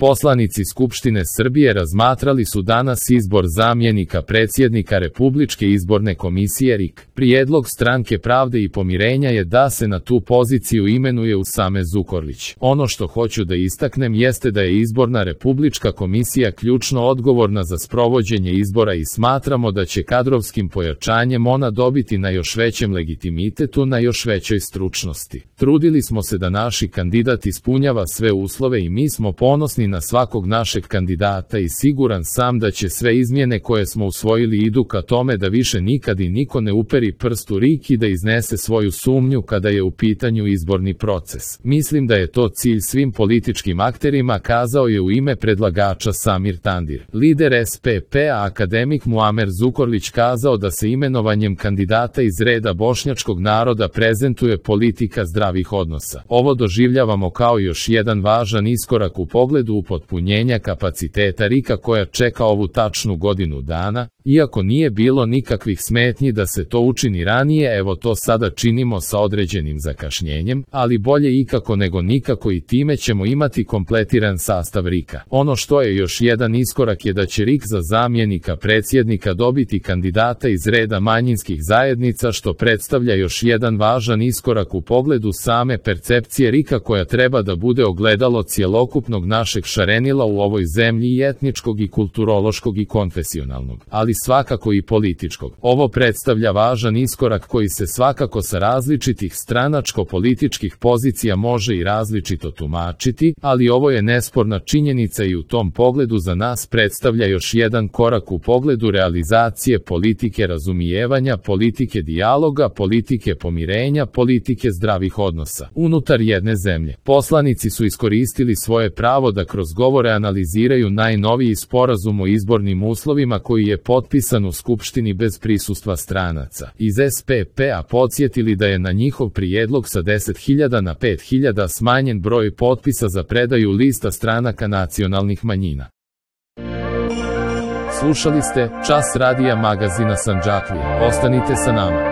Poslanici Skupštine Srbije razmatrali su danas izbor zamjenika predsjednika Republičke izborne komisije RIK. Prijedlog Stranke pravde i pomirenja je da se na tu poziciju imenuje Usame Zukorlić. Ono što hoću da istaknem jeste da je izborna Republička komisija ključno odgovorna za sprovođenje izbora i smatramo da će kadrovskim pojačanjem ona dobiti na još većem legitimitetu, na još većoj stručnosti. Trudili smo se da naši kandidat ispunjava sve uslove i mi smo ponosni na svakog našeg kandidata i siguran sam da će sve izmjene koje smo usvojili idu ka tome da više nikad i niko ne uperi prst u RIK i da iznese svoju sumnju kada je u pitanju izborni proces. Mislim da je to cilj svim političkim akterima, kazao je u ime predlagača Samir Tandir. Lider SPP-a akademik Muamer Zukorlić kazao da se imenovanjem kandidata iz reda bošnjačkog naroda prezentuje politika zdravih odnosa. Ovo doživljavamo kao još jedan važan iskorak u pogledu upotpunjenja kapaciteta RIK-a koja čeka ovu tačnu godinu dana, iako nije bilo nikakvih smetnji da se to učini ranije, evo to sada činimo sa određenim zakašnjenjem, ali bolje ikako nego nikako i time ćemo imati kompletiran sastav RIK-a. Ono što je još jedan iskorak je da će RIK za zamjenika predsjednika dobiti kandidata iz reda manjinskih zajednica, što predstavlja još jedan važan iskorak u pogledu same percepcije RIK-a koja treba da bude ogledalo cjelokupnog našeg šarenila u ovoj zemlji i etničkog i kulturološkog i konfesionalnog, ali svakako i političkog. Ovo predstavlja važan iskorak koji se svakako sa različitih stranačko-političkih pozicija može i različito tumačiti, ali ovo je nesporna činjenica i u tom pogledu za nas predstavlja još jedan korak u pogledu realizacije politike razumijevanja, politike dijaloga, politike pomirenja, politike zdravih odnosa unutar jedne zemlje. Poslanici su iskoristili svoje pravo da kroz govore analiziraju najnoviji sporazum o izbornim uslovima koji je potpisan u Skupštini bez prisustva stranaca. Iz SPP-a podsjetili da je na njihov prijedlog sa 10.000 na 5.000 smanjen broj potpisa za predaju lista stranaka nacionalnih manjina. Slušali ste Čas radija magazina Sandžaklije. Ostanite sa nama.